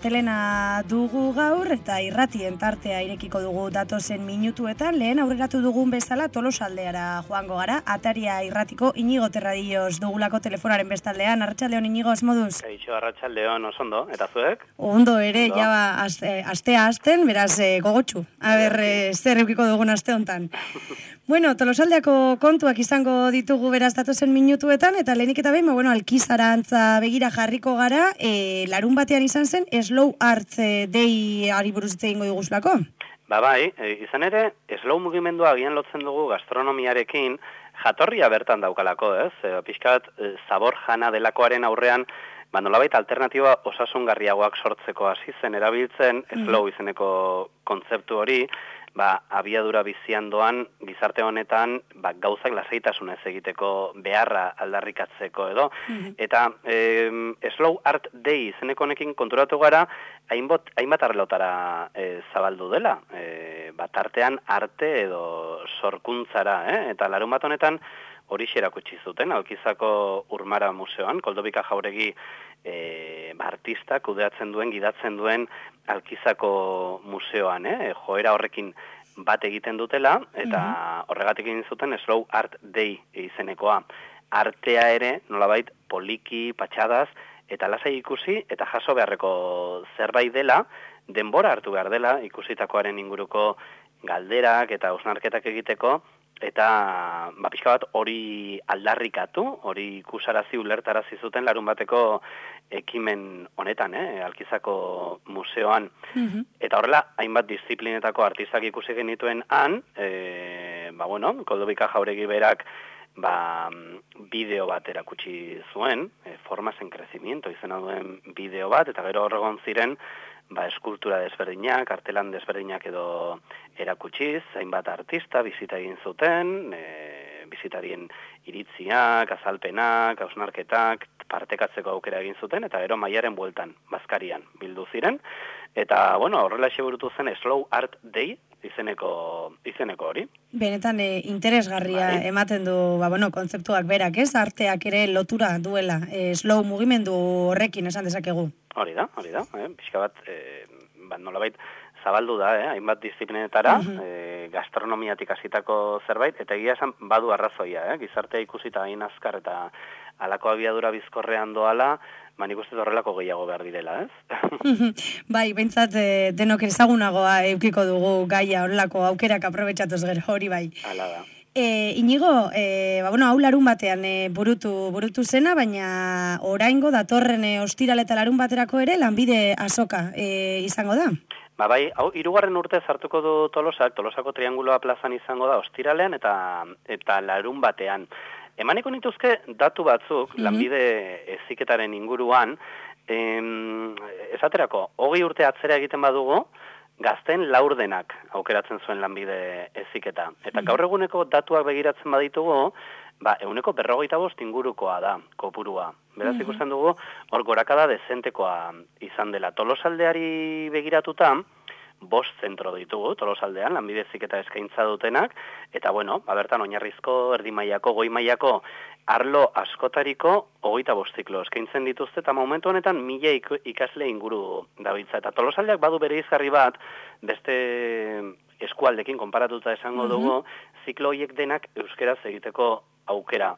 astelena dugu gaur eta irratien tartea irekiko dugu datozen minutuetan. Lehen aurreratu dugun bezala Tolosaldeara joango gara. Ataria irratiko Inigo Terradillos dugulako telefonaren bestaldean. Arratsaldeon Inigo, asmoduz? Kaixo, arratsaldeon, oso ondo, eta zuek? Ondo ere, ja astea hasten, beraz gogotsu. Zer eukiko dugun aste hontan. Bueno, Tolosaldeako kontuak izango ditugu beraz datozen minutuetan, eta lehenik eta behin, Alkizarantza begira jarriko gara, larun batean izan zen, Slow Art Day ari buruz hitz egingo diguzulako? Bai, izan ere, slow mugimendua agian lotzen dugu gastronomiarekin, jatorria bertan daukalako, ez? Pixkat, zabor jana delakoaren aurrean, nolabait alternatiba osasungarriagoak sortzeko hasi zen erabiltzen, slow izeneko kontzeptu hori, abiadura bizian doan gizarte honetan gauzak lasaitasunez egiteko beharra aldarrikatzeko edo. Eta Slow Art Day izeneko honekin konturatu gara hainbat arlotara zabaldu dela. Tartean arte edo sorkuntzara, eta larun bat honetan hori erakutsi zuten, Alkizako Urmara Museoan, Koldobika Jauregi artistak kudeatzen duen, gidatzen duen Alkizako museoan, joera horrekin bat egiten dutela, eta horregatik egin zuten Slow Art Day izenekoa. Artea ere, nolabait, poliki, patxadaz, eta lasai ikusi, eta jaso beharreko zerbait dela, denbora hartu behar dela, ikusitakoaren inguruko galderak eta hausnarketak egiteko, eta pixka bat hori aldarrikatu, hori ikusarazi ulertarazi zuten larun bateko ekimen honetan, Alkizako museoan. Eta horrela, hainbat disiplinetako artistak ikusi genituen han, Koldobika Jauregi berak bideo bat erakutsi zuen, Formas en Crecimiento izena duen bideo bat, eta gero horregon ziren, eskultura desberdinak, artelan desberdinak edo erakutsiz, hainbat artista bizita egin zuten, bizitarien iritziak, azalpenak, hausnarketak, partekatzeko aukera egin zuten, eta gero maiaren bueltan, Bazkarian bildu ziren, eta horrela burutu zen Slow Art Day izeneko hori. Benetan interesgarria ematen du kontzeptuak berak, ez? Arteak ere lotura duela, slow mugimendu horrekin esan dezakegu. Hori da, pixka bat, nolabait zabaldu da, hainbat disiplinetara, gastronomiatik hasitako zerbait, eta egia esan badu arrazoia, gizartea ikusita hain azkar eta halako abiadura bizkorrean doala, nik uste horrelako gehiago behar direla, ez? Bai, behintzat denok ezagunagoa eukiko dugu gaia horrelako aukerak aprobetxatuz gero, hori bai. Hala da. Inigo, hau larun batean burutu zena, baina oraingo datorren ostiral eta larun baterako ere lanbide azoka izango da? Bai, hau, 3. urte zartuko du Tolosako Trianguloa plazan izango da ostiralean eta larun batean. Emaniko nituzke datu batzuk, lanbide heziketaren inguruan, esaterako, 20 urte atzera egiten badugu, gazten laurdenak aukeratzen zuen lanbide heziketa. Eta gaur eguneko datuak begiratzen baditugu, 45% ingurukoa da, kopurua. Beraz ikusten dugu, hor gorakada dezentekoa izan dela. Tolosaldeari begiratuta, 5 zentro ditugu, Tolosaldean, lanbide heziketa eskaintza dutenak, eta bertan oinarrizko, erdi mailako, goi mailako, arlo askotariko 25 ziklo eskaintzen dituzte, eta momentu honetan 1000 ikasle inguru dabiltza. Eta Tolosaldeak badu bere izgarri bat, beste eskualdekin konparatuta esango dugu, ziklo horiek denak euskeraz egiteko aukera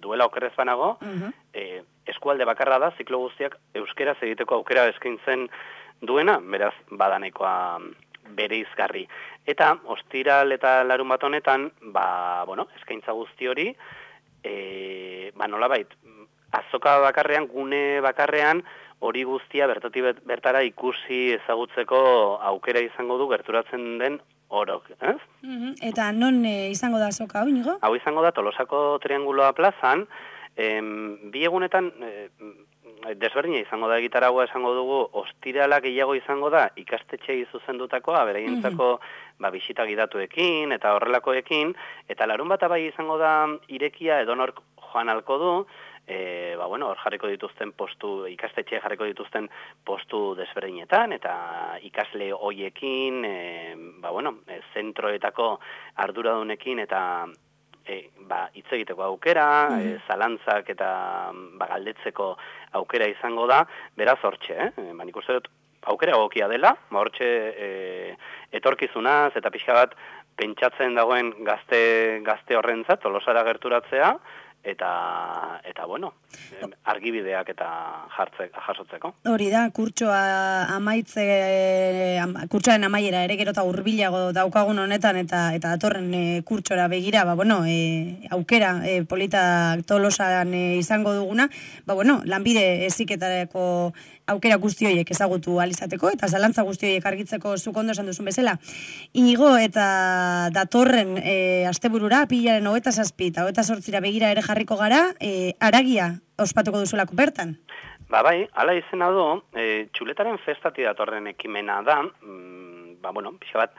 duela okerrez banago, eskualde bakarra da, ziklo guztiak euskeraz egiteko aukera eskaintzen duena, beraz, badanekoa bere izgarri. Eta, ostiral eta larun bat honetan, eskaintza guzti hori, nolabait, azoka bakarrean, gune bakarrean, hori guztia bertara ikusi ezagutzeko aukera izango du gerturatzen den orok, ez? Eta non izango da azoka, hau, Inigo? Hau izango da Tolosako Trianguloa plazan, bi egunetan desberdina izango da egitaragua esango dugu, ostirala gehiago izango da ikastetxeei zuzendutakoa, beraientzako bisita gidatuekin eta horrelakoekin, eta larun bat bai izango da irekia edonork joan halko du, hor jarriko dituzten postu, ikastetxe jarriko dituzten postu desberdinetan, eta ikasle hoiekin, zentroetako arduradunekin eta hitz egiteko aukera, zalantzak eta galdetzeko aukera izango da, beraz hortxe, nik uste dut aukera egokia dela, hortxe etorkizunaz eta pixka bat pentsatzen dagoen gazte horrentzat Tolosara gerturatzea, eta bueno, argibideak eta jasotzeko. Hori da, kurtsoaren amaiera ere gero eta hurbilago daukagun honetan eta datorren kurtsora begira, aukera polita Tolosan izango duguna, lanbide heziketarako aukera guzti horiek ezagutu alizateko eta zalantza guzti horiek argitzeko zuk ondo esan duzun bezala. Inigo eta datorren asteburura, pilaren 27 eta 28 begira ere jarriko gara, haragia ospatuko duzulako bertan. Bai, hala izena du, txuletaren festati datorren ekimena da, pixka bat,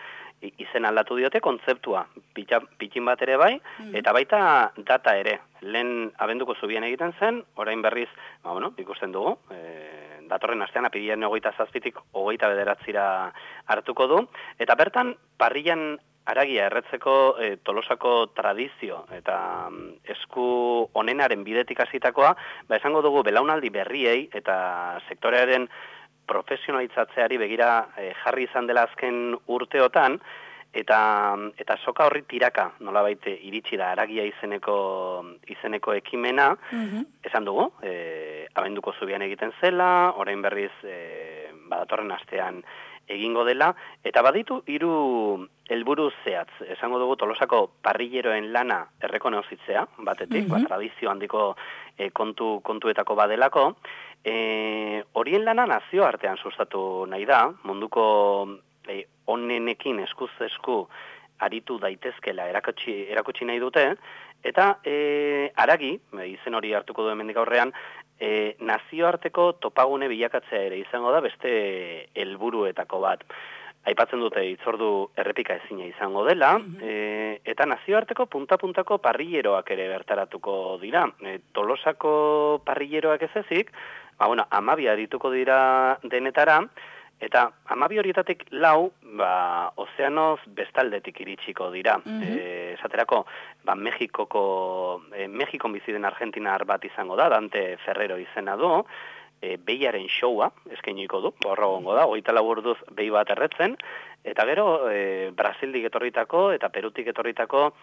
izen aldatu diote kontzeptua, pitxin bat ere bai, eta baita data ere. Lehen abenduko zubian egiten zen, orain berriz, ikusten dugu, datorren astean apirilaren 27tik 29ra hartuko du, eta bertan parrillan haragia erretzeko Tolosako tradizio eta esku onenaren bidetik hasitakoa, esango dugu belaunaldi berriei eta sektorearen profesionalitzatzeari begira jarri izan dela azken urteotan, eta soka horri tiraka nolabait iritsi da haragia izeneko ekimena, esan dugu, abenduko zubian egiten zela, orain berriz datorren astean egingo dela, eta baditu 3 helburu zehatz. Esango dugu Tolosako parrilleroen lana errekonozitzea, batetik, tradizio handiko kontuetako badelako, horien lana nazioartean sustatu nahi da, munduko onenekin eskuz esku aritu daitezkela erakutsi nahi dute, eta haragi, izen hori hartuko du hemendik aurrean, nazioarteko topagune bilakatzea ere izango da beste helburuetako bat. Aipatzen dute hitzordu errepika ezina izango dela, eta nazioarteko punta-puntako parrilleroak ere bertaratuko dira. Tolosako parrilleroak ez ezik, 12 arituko dira denetara, eta 12 horietatik 4, ozeanoz bestaldetik iritsiko dira. Esaterako, Mexikon bizi den argentinar bat izango da, Dante Ferrero izena du, behiaren showa eskainiko du, borrogongo da, 24 orduz behi bat erretzen, eta gero Brasildik etorritako eta Perutik etorritako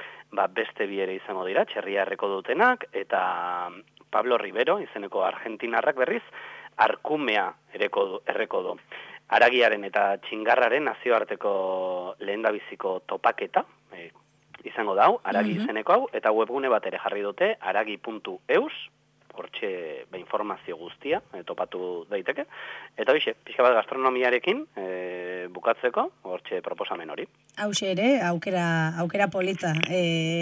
beste bi ere izango dira, txerriarreko dutenak, eta Pablo Rivero izeneko argentinarrak berriz, arkumea erreko du. Haragiaren eta txingarraren nazioarteko lehendabiziko topaketa izango da, haragi izeneko hau, eta webgune bat ere jarri dute, haragi.eus, hortxe informazio guztia topatu daiteke, eta hoxe, pixka bat gastronomiarekin bukatzeko, hortxe proposamen hori. Hauxe ere, aukera polita.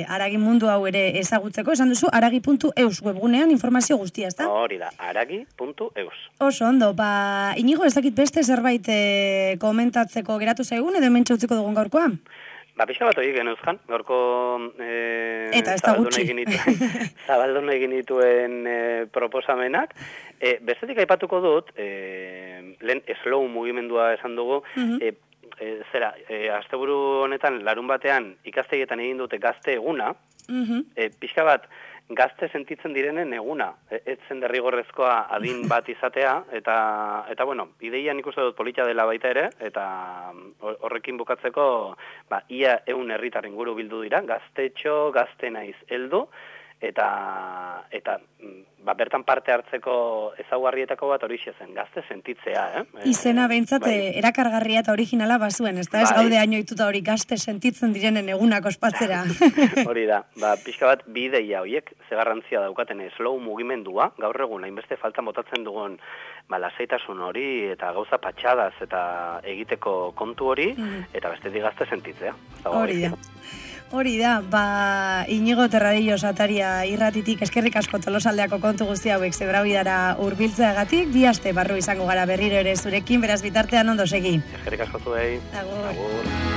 Haragi mundu hau ere ezagutzeko, esan duzu, haragi.eus webgunean informazio guztia, ezta? Hori da, haragi.eus. Oso ondo, Inigo, ez dakit beste zerbait komentatzeko geratu zaigun, edo hemen txautzeko dugun gaurkoa? Pixka bat hori genuzkan, gaurko eta ez da gutxi. Zabaldun egin dituen proposamenak. Bestetik aipatuko dut, lehen slow mugimendua esan dugu, asteburu honetan larun batean ikastegietan egin dute gazte eguna, pixka bat gazte sentitzen direnen eguna, etzen derrigorrezkoa adin bat izatea, eta ideian ikusten dut polita dela baita ere, eta horrekin bukatzeko, ia 100 herritar inguru bildu dira, gaztetxo, gazte naiz heldu, eta bertan parte hartzeko ezaugarrietako bat horixe zen, gazte sentitzea. Izena behintzat erakargarria eta originala bazuen, ez gaude hainoituta hori gazte sentitzen direnen egunak ospatzera. Hori da, pixka bat bi ideia horiek zegarrantzia daukaten slow mugimendua, gaur egun hainbeste falta botatzen dugun lasaitasun hori eta gauza patxadaz eta egiteko kontu hori, eta bestetik gazte sentitzea. Hori da, Inigo Terradillo Sataria irratitik eskerrik asko Tolosaldeako kontu guzti hauek zebrabidara hurbiltzeagatik, 2 aste barru izango gara berriro ere zurekin, beraz bitartean ondo segi. Eskerrik asko zuei. Agur.